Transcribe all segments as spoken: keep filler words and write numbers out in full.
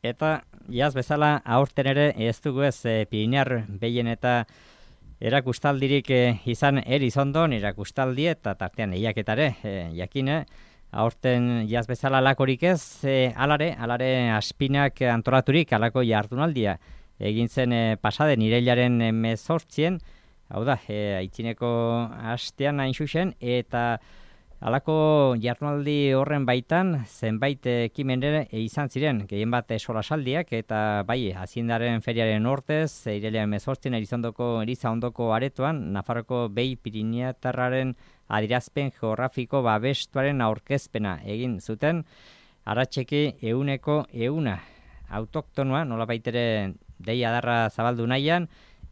Eta jaz bezala aurten ere ez dugu ez e, Pirinear behien eta erakustaldirik e, izan Erizondon, erakustaldi eta tartean eiaketare, e, jakine, aurten jaz bezala alakorik ez, e, alare, alare Aspinak antolaturik alako jardunaldia. Egin zen e, pasaden irailaren hemezortzien, hau da, e, aitzineko hastean hain zuzen, eta halako jardunaldi horren baitan zenbait ekimen ere izan ziren, gehien bat solasaldiak eta bai, Haziendaren feriaren ortez, irailaren hemezortzian Erizondoko Eliza ondoko aretoan, Nafarroko behi Pirineatarraren adierazpen geografiko babestuaren aurkezpena egin zuten, aratxeki euneko euna autoktonoa, nolabait ere deia darra zabaldu nahian,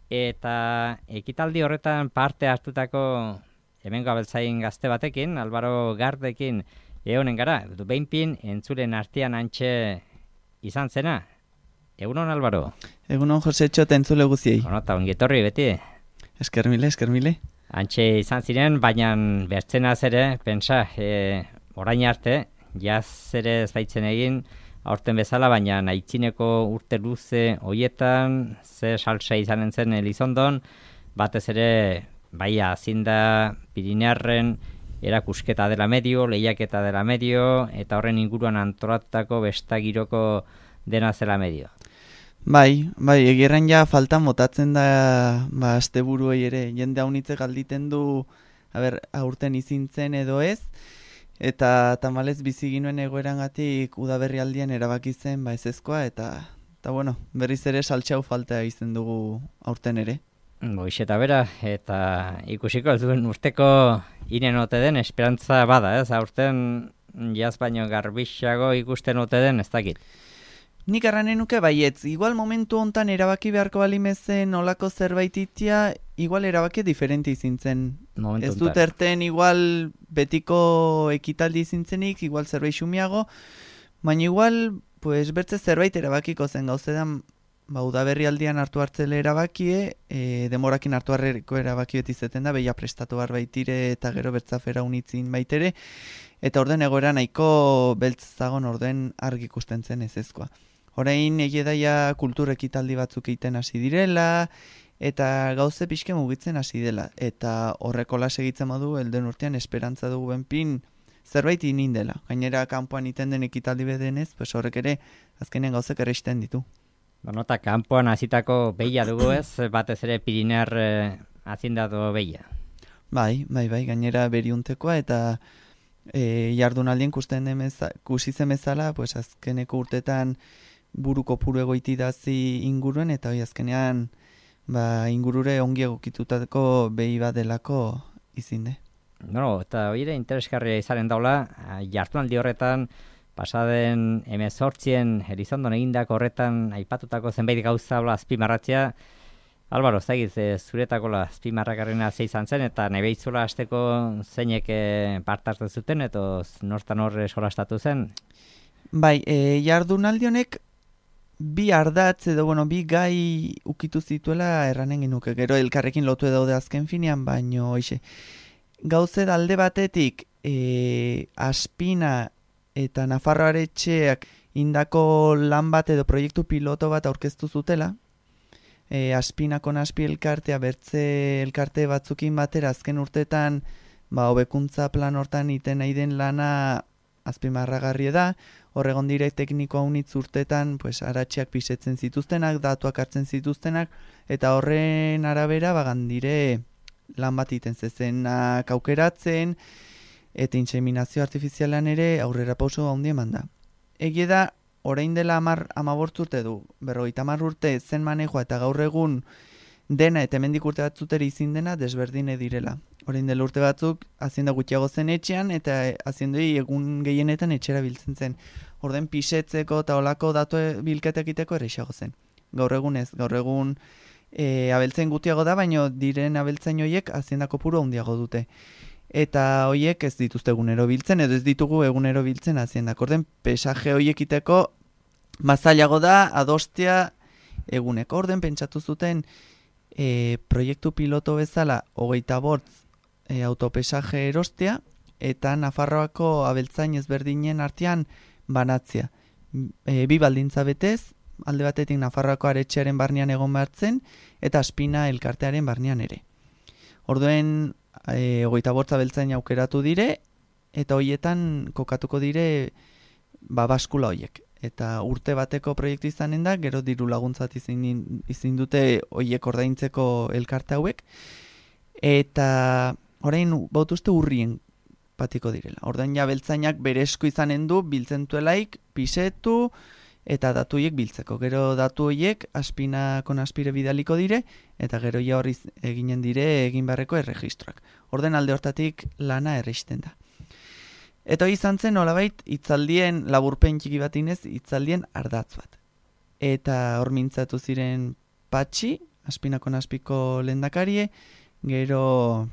eta ekitaldi horretan parte hartutako hemengo abeltzain gazte batekin, Albaro Gardekin egonen gara, behinpin entzulen artean antxe izan zena. Egunon, Albaro? Egunon, Josetxo, eta entzule guziei. Ono, eta ongetorri beti. Eskermile, eskermile. Antxe izan ziren, baina bertzenaz ere, pensa, e, orain arte, jaz ere ez baitzen egin, aurten bezala, baina aitzineko urte luze hoietan, ze salsa izanen zen Elizondon, batez ere, bai, Hazienda Pirinearren erakusketa dela medio, lehiaketa dela medio, eta horren inguruan antolatutako bestagiroko dena zela medio. Bai, bai, egirren ja faltan botatzen da, ba, asteburuei ere, jende haunitze galditen du, haber, aurten izintzen edo ez, eta tamalez bizi ginuen egoerangatik udaberri aldian erabaki zen, ba, ezezkoa, eta, eta bueno, berriz ere saltxau falta izen dugu aurten ere. Boix eta bera, eta ikusiko ez duen urteko inen ote den esperantza bada, ez? Aurten jaz baino garbixago ikusten ote den, ez dakit. Nik arranen nuke baietz, igual momentu hontan erabaki beharko balimezen olako zerbait itia, igual erabaki diferente izintzen. Momentu ez dut erten igual betiko ekitaldi izintzenik, igual zerbait xumiago, baina igual, pues, bertze zerbait erabakiko zen gauzedan, ba, udaberri aldian hartu hartzele erabakie, e, demorakin hartu harreko erabaki beti zeten da, behia prestatu bar baitire eta gero bertzafera unitzin baitere, eta orden egoera nahiko beltzagon orden argi ikusten zen ezezkoa. Horein egedaia kultur ekitaldi batzuk egiten hasi direla, eta gauze pixke mugitzen hasi dela, eta horrekola segitzen modu, elden urtean esperantza dugu benpin, zerbait inin dela. Gainera kanpoan iten den ekitaldi bedenez, pues horrek ere azkenean gauzek erreisten ditu. Bueno, eta kanpoan hasitako behia dugu ez, batez ere Pirinear eh, Haziendado behia. Bai, bai, bai, gainera beriuntekoa eta e, jardunaldien kusten demeza, kusizen bezala, pues azkeneko urtetan buruko puru egoiti dazi inguruen, eta hoi azkenean ba, ingurure ongi egokitutako behi bat delako izinde. No, eta hori ere interesgarria izaren daula, jardunaldi horretan, pasaden hemezortzien Elizondon egindako horretan aipatutako zenbait gauza azpimarratzea. Albaro, zagiz, e, zuretako azpimarrakarrena ze izan zen, eta nahi behitzula hasteko zeinek e, partartzen zuten, eta nortan horre solastatu zen? Bai, e, jardunaldi honek bi ardatz edo, bueno, bi gai ukitu zituela erranen genuke. Gero elkarrekin lotu daude azken finean, baino, hoxe, gauze alde batetik e, Aspina eta Nafarro Aretxeak indako lan bat edo proiektu piloto bat aurkeztu zutela. E, Aspinako Naspi elkartea, bertze elkarte batzukin batera azken urtetan, ba, hobekuntza plan hortan iten nahi den lana azpimarragarria da. Horregon dire teknikoa unitz urtetan, pues, aratxeak pisetzen zituztenak, datuak hartzen zituztenak, eta horren arabera bagan dire lan bat iten zezenak aukeratzen, eta inseminazio artifizialan ere aurrera pauso handi eman da. Egie da, orain dela amar, amabort urte du, berrogeita hamar urte zen manejoa eta gaur egun dena eta hemendik urte batzutera izin dena desberdine direla. Orain dela urte batzuk, hazienda gutxiago zen etxean, eta haziendoi egun gehienetan etxera biltzen zen. Orden pisetzeko eta olako datu bilketak iteko erreixago zen. Gaur egun ez, gaur egun e, abeltzain gutiago da, baino diren abeltzain hoiek haziendako puro handiago dute. Eta hoiek ez dituzte egunero biltzen, edo ez ditugu egunero biltzen haziendak. Orden pesaje hoiek iteko mazailago da adostea eguneko. Orden pentsatu zuten e, proiektu piloto bezala hogeita bortz e, autopesaje erostea, eta Nafarroako abeltzain ezberdinen artean banatzea. e, bi baldintza betez, alde batetik Nafarroako aretxearen barnean egon behartzen, eta Aspina elkartearen barnean ere. Orduen, e, hogeita bortza beltzain aukeratu dire, eta hoietan kokatuko dire ba, baskula hoiek. Eta urte bateko proiektu izanen da, gero diru laguntzat izin, izin dute hoiek ordaintzeko elkarte hauek, eta orain bautuzte urrien patiko direla. Ordain ja beltzainak bere esku izanen du, biltzen duelaik, pisetu, eta datu horiek biltzeko. Gero datu horiek Aspinakon aspire bidaliko dire, eta gero ja horri eginen dire egin beharreko erregistroak. Orden alde hortatik lana erreisten da. Eta hori izan zen, nolabait, itzaldien, laburpen txiki bat inez, itzaldien ardatz bat. Eta hor mintzatu ziren Patxi, Aspinakon aspiko lehendakarie, gero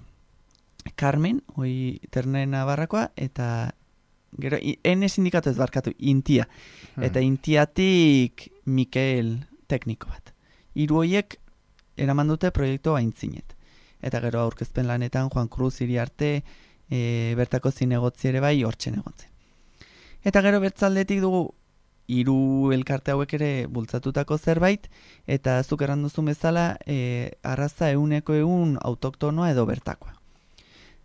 Carmen, hoi Ternera Navarrakoa, eta gero, ene sindikatu ez barkatu, Intia. Eta Intiatik Mikel tekniko bat. Hiru horiek eraman dute proiektu aintzinet. Eta gero aurkezpen lanetan Juan Cruz Iriarte, e, bertako zinegotzi ere bai hortzen egontzen. Eta gero bertzaldetik dugu hiru elkarte hauek ere bultzatutako zerbait, eta zuk erranduzun bezala e, arraza euneko eun autoktonoa edo bertakoa.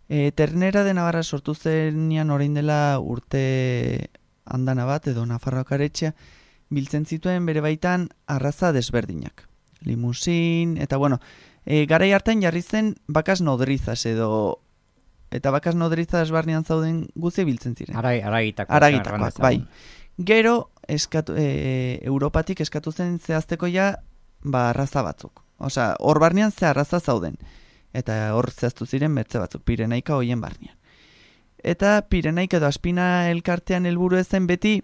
E, Ternera de Navarra sortu zenian orain dela urte andana bat edo Nafarroako aretxea biltzen zituen bere baitan arraza desberdinak. Limusin, eta bueno, e, garai hartan jarri zen bakas nodrizas edo eta bakas nodrizas barnean zauden guzi biltzen ziren. Aragitakoak. Aragitakoak, bai. Gero, eskatu, e, Europatik eskatu zen zehazteko ja ba, arraza batzuk. Osea, hor barnean ze arraza zauden. Eta hor zehaztu ziren bertze batzuk, Pirenaika hoien barnean. Eta Pirenaika edo Aspina elkartean helburu ezen beti,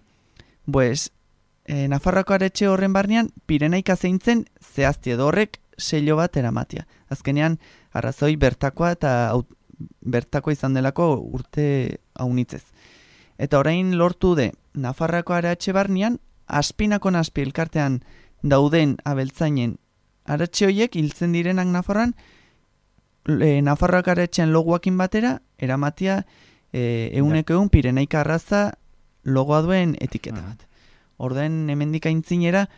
pues, e, Nafarroako aretxe horren barnean, Pirenaika zeintzen zehazti edo horrek sello bat eramatia. Azkenean, arrazoi bertakoa eta aut, bertakoa izan delako urte haunitzez. Eta orain lortu de Nafarroako aretxe barnean, Aspinakon aspi elkartean dauden abeltzainen aretxe hoiek hiltzen direnak Nafarroan, e, Nafarroako aretxean logoakin batera, eramatia e, euneko eun Pirenaika arraza logoa duen etiketa bat. Orden hemendik aintzinera,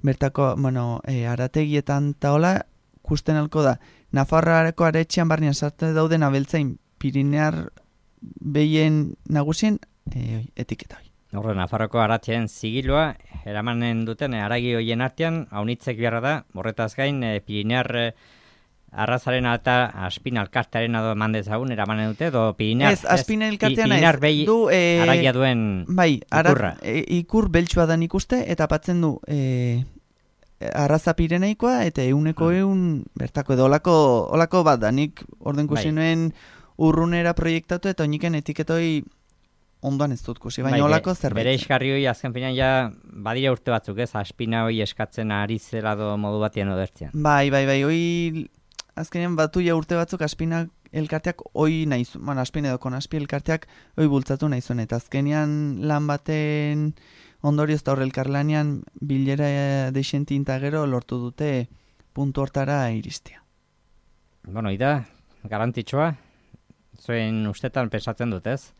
bertako, bueno, e, arategietan taola, kusten alko da, Nafarroako aretxean barnean sartu dauden abeltzain Pirinear behien nagusien e, etiketa hori. Horre, Nafarroko aratxeen zigiloa, eramanen duten e, aragi hoien artean, haunitzek beharra da, horretaz gain, e, Pirinear e, arrazaren eta Aspina elkartearen edo eman dezagun, eramanen dute, edo Pirinear, ez, Aspina elkartean Pirinear ez, behi du, e, aragia duen bai, ikurra. Ara, e, ikur beltsua dan ikuste, eta patzen du e, arraza Pirenaikoa, eta euneko hmm. eun bertako edo olako, olako bat da, nik orden kusi bai. nuen urrunera proiektatu, eta oniken etiketoi ondoan ez dut kusi, baina bai, olako zerbait. Bere iskarri hoi azken finan ja badire urte batzuk ez, Aspina hoi eskatzen ari zela do modu batien odertzean. Bai, bai, bai, hoi azkenean batu ja urte batzuk Aspina elkarteak hoi nahi zuen, bueno, Aspina edo Konaspi elkarteak hoi bultzatu nahi zuen, eta azkenean lan baten ondorioz eta horre elkarlanean bilera deixentin eta gero lortu dute puntu hortara iristea. Bueno, ida, garantitxoa, zuen ustetan pensatzen dut ez?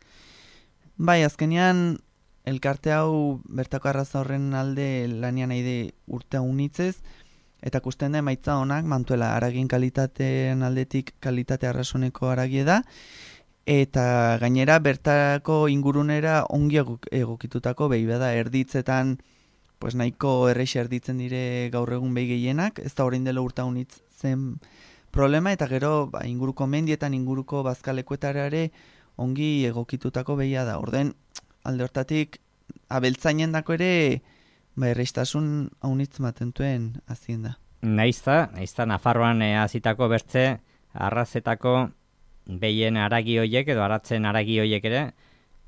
Bai, azkenean elkarte hau bertako arraza horren alde lanian nahi urte unitzez, eta kusten da emaitza honak, mantuela aragien kalitateen aldetik kalitate arrasoneko aragie da, eta gainera bertako ingurunera ongi egokitutako behi bada erditzetan, pues nahiko erreixe erditzen dire gaur egun behi gehienak, ez da orain dela urte unitz zen problema, eta gero ba, inguruko mendietan, inguruko bazkalekuetara ere ongi egokitutako behia da. Orden, alde hortatik, abeltzainen dako ere, ba, erreistasun haunitz matentuen azien da. Naizta, naizta Nafarroan e, azitako bertze, arrazetako behien aragi hoiek edo aratzen aragi hoiek ere,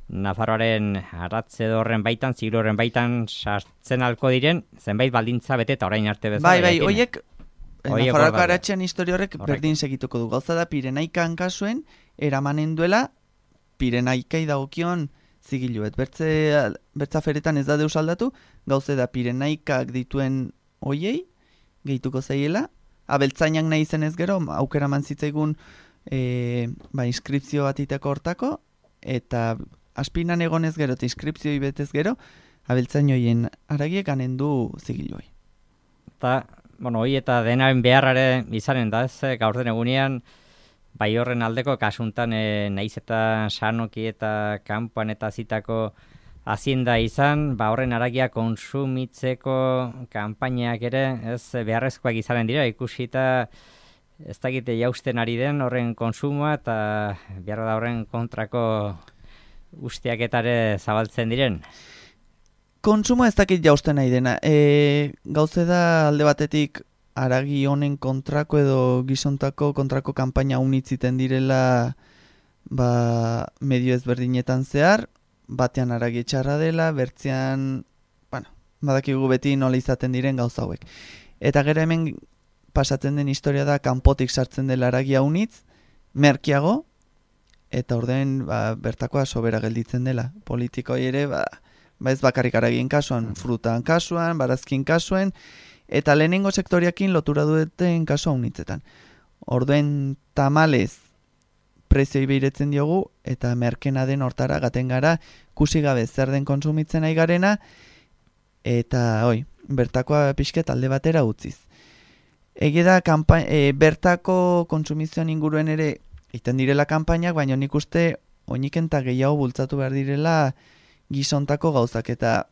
Nafarroaren aratze horren baitan, ziglo horren baitan sartzen alko diren, zenbait baldintza bete eta orain arte bezala. Bai, bai, hoiek, Nafarroako aratzean historia horrek berdin segituko du. Gauza da, Pirenaikan kasuen, eramanen duela, Pirenaikai dagokion zigiluet. Bertze, bertza feretan ez da deus aldatu, gauze da Pirenaikak dituen hoiei, gehituko zaiela, abeltzainak nahi zen ez gero, aukera manzitzaigun e, ba, inskripzio bat iteko hortako, eta Aspinan egonez gero eta inskripzioi betez gero, abeltzainoien aragiek anendu zigiloi. Eta, bueno, hoi eta denaren beharrare izanen da, ez, gaur den egunean, bai horren aldeko kasuntan e, naiz eta sanoki eta kanpoan eta zitako hazienda izan, ba horren aragia konsumitzeko kanpainak ere, ez beharrezkoak izanen dira, ikusita ez dakite jausten ari den horren konsumoa eta behar da horren kontrako usteaketare zabaltzen diren. Kontsumo ez dakit jausten nahi dena. E, gauze da alde batetik haragi honen kontrako edo gizontako kontrako kanpaina unitziten direla ba, medio ezberdinetan zehar, batean haragi txarra dela, bertzean, bueno, badakigu beti nola izaten diren gauza hauek. Eta gero hemen pasatzen den historia da kanpotik sartzen dela haragia unitz, merkiago, eta orden ba, bertakoa sobera gelditzen dela. Politikoi ere, ba, ba ez bakarrik haragien kasuan, frutan kasuan, barazkin kasuan, eta lehenengo sektoriakin lotura duten kasua unitzetan. Orduen tamalez prezioi behiretzen diogu, eta merkena den hortara gaten gara, kusi gabe zer den konsumitzen nahi garena, eta oi, bertakoa pixket alde batera utziz. Egi da, e, bertako kontsumizioan inguruen ere iten direla kanpainak, baina nik uste oiniken eta gehiago bultzatu behar direla gizontako gauzak, eta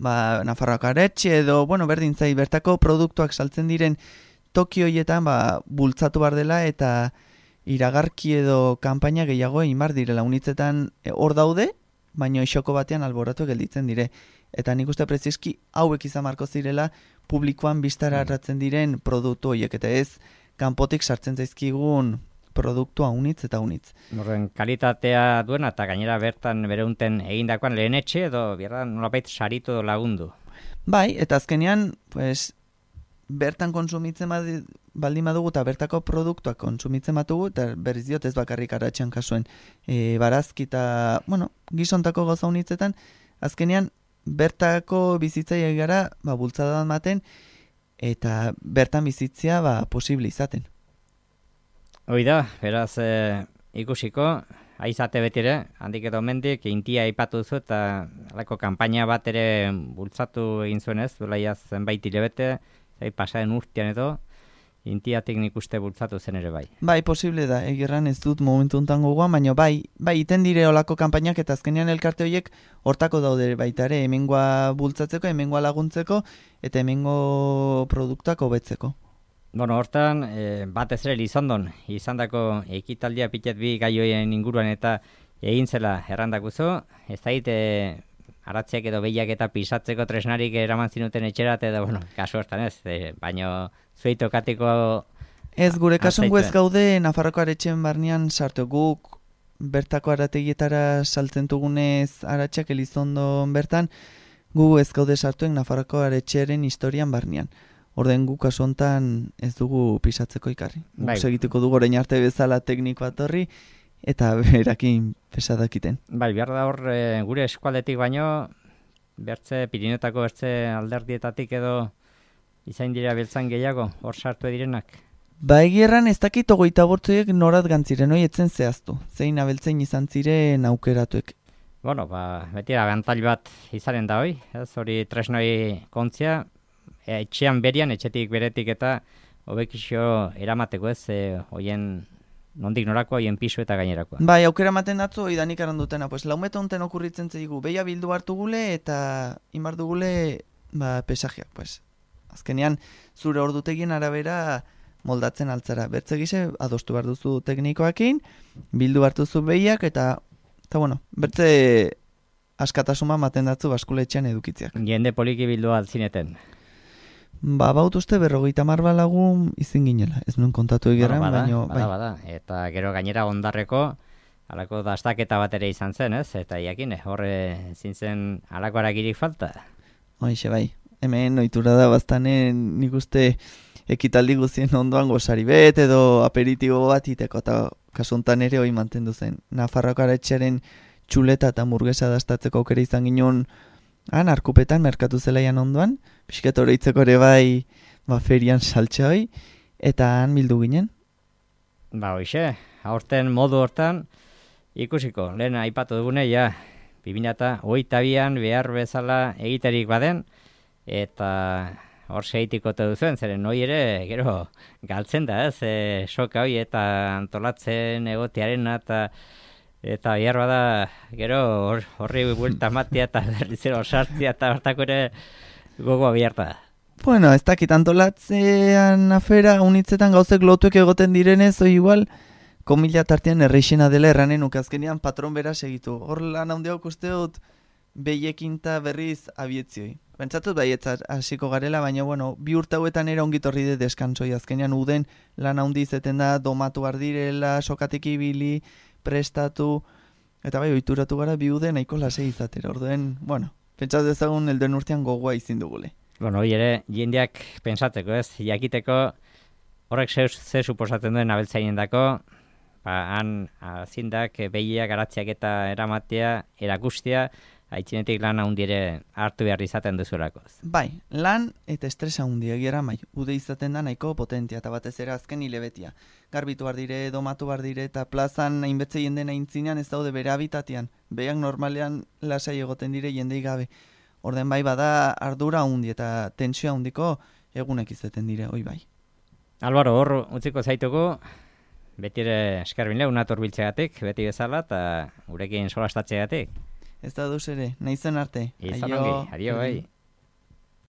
ba, Nafarroako aretxe edo, bueno, berdin zai, bertako produktuak saltzen diren toki horietan ba, bultzatu behar dela, eta iragarki edo kanpaina gehiago egin behar direla. Unitzetan hor daude, baina isoko batean alboratu gelditzen dire. Eta nik uste prezizki hauek izan marko zirela publikoan biztara harratzen diren produktu horiek, eta ez kanpotik sartzen zaizkigun produktua unitz eta unitz. Horren kalitatea duena eta gainera bertan bereunten egindakoan lehen etxe edo bierda nolabait saritu lagundu. Bai, eta azkenean pues, bertan konsumitzen baldin badugu eta bertako produktuak konsumitzen batugu, eta berriz diot ez bakarrik aratxean kasuen e, barazki eta bueno, gizontako gauza unitzetan, azkenean bertako bizitzaia gara ba, bultzada maten eta bertan bizitzia ba, posible izaten. Hoi da, beraz e, ikusiko, aizate betire, handik edo mendik, intia aipatu duzu eta alako kanpaina bat ere bultzatu egin zuen ez, duela ia zenbait hilabete, zai pasaren urtean edo, intiatik nik uste bultzatu zen ere bai. Bai, posible da, egirran ez dut momentu untan gogoan, baina bai, bai, iten dire olako kanpainak eta azkenean elkarte horiek hortako daude baita ere, hemengoa bultzatzeko, hemengoa laguntzeko, eta hemengo produktuak hobetzeko. Bueno, hortan, e, batez ere Lizondon, izandako ekitaldia pitet bi gaioen inguruan eta egin zela errandakuzu, ez dait, e, aratzeak edo behiak eta pisatzeko tresnarik eraman zinuten etxerat, edo, bueno, kasu hortan ez, e, baino zuitokatiko... Ez, gure kasun guez gaude Nafarroko aretxen barnean sartu guk, bertako arategietara saltzen dugunez aratxak Elizondon bertan, gu ez gaude sartuen Nafarroko aretxearen historian barnean. Orden guk kasu hontan ez dugu pisatzeko ikarri. Bai. Segituko dugu orain arte bezala tekniko atorri, eta berakin pesadakiten. Bai, behar da hor e, gure eskualdetik baino, bertze, Pirinotako bertze alderdietatik edo izain dira beltzan gehiago, hor sartu direnak. Ba egierran ez dakit ogoita bortzoiek norat gantziren, hoi etzen zehaztu. Zein abeltzein izan ziren aukeratuek. Bueno, ba, beti abantail bat izanen da hoi, ez hori tresnoi kontzia, etxean berian, etxetik beretik eta hobekixo eramateko ez, e, hoien nondik norako, hoien pisu eta gainerakoa. Bai, aukera maten datzu, hoi danik arandutena, pues laumeta honten okurritzen zeigu, beia bildu hartu gule eta inbar dugule ba, pesajeak, pues. Azkenean, zure ordutegien arabera moldatzen altzara. Bertze gise, adostu behar duzu teknikoakin, bildu hartu zu behiak eta, eta bueno, bertze askatasuma maten datzu baskuletxean edukitziak. Jende poliki bildu altzineten. Ba, baut uste berrogeita mar balagun izin ginela. Ez nuen kontatu egeran, bueno, bada, baino... Bada, bai. bada. Eta gero gainera ondarreko, alako dastaketa bat ere izan zen, ez? Eta iakin, horre zintzen alako aragirik falta. Hoixe, bai. Hemen ohitura da bastanen nik uste ekitaldi guztien ondoan gozari bet edo aperitibo bat iteko, eta kasuntan ere hoi mantendu zen. Nafarroako aretxearen txuleta eta murgesa dastatzeko aukera izan ginen han, arkupetan, merkatu zelaian ondoan, pixket oroitzeko ere bai ba, ferian saltxe hoi, eta han bildu ginen. Ba, hoixe, aurten modu hortan, ikusiko, lehen aipatu dugune, ja, bi mila hogeita bian behar bezala egiterik baden, eta hor segitikote duzuen, zeren noi ere, gero, galtzen da, ez, e, soka hoi eta antolatzen egotearen eta eta behar bada, gero, hor, horri buelta matia eta berrizero sartzia eta hartako ere gogoa biharta da. Bueno, ez dakit antolatzean afera, unitzetan gauzek lotuek egoten direnez, oi igual, komila tartean erreixena dela erranen ukazkenean patron bera segitu. Hor lan handiak uste dut behiekin eta berriz abietzioi. Pentsatut baietza hasiko garela, baina bueno, bi urte hauetan era ongitorri de deskantsoi. Azkenean uden lan handi izeten da, domatu ardirela, sokatik ibili, prestatu, eta bai, oituratu gara bi ude nahiko lasei izatera. Orduen, bueno, pentsatu ezagun elduen urtean gogoa izin dugule. Bueno, hori ere, jendeak pentsateko, ez, jakiteko horrek ze, ze suposatzen duen abeltzainen dako, ba, han azindak behiak garatziak eta eramatea, erakustea, haitzinetik lan handiere hartu behar izaten duzulako. Bai, lan eta estresa handi egiera mai. Ude izaten da nahiko potentia eta batez ere azken hilebetia. Garbitu bar dire, domatu bar dire eta plazan hainbetze jenden aintzinean ez daude bere habitatian. Behiak normalean lasai egoten dire jendei gabe. Orden bai bada ardura handi eta tentsioa handiko egunek izaten dire, oi bai. Albaro, hor utziko zaituko, beti ere eskerbin lehun ator biltzegatik, beti bezala, eta gurekin solastatzegatik. Ez da duz ere, nahi zen arte. Izan ongi, adio bai.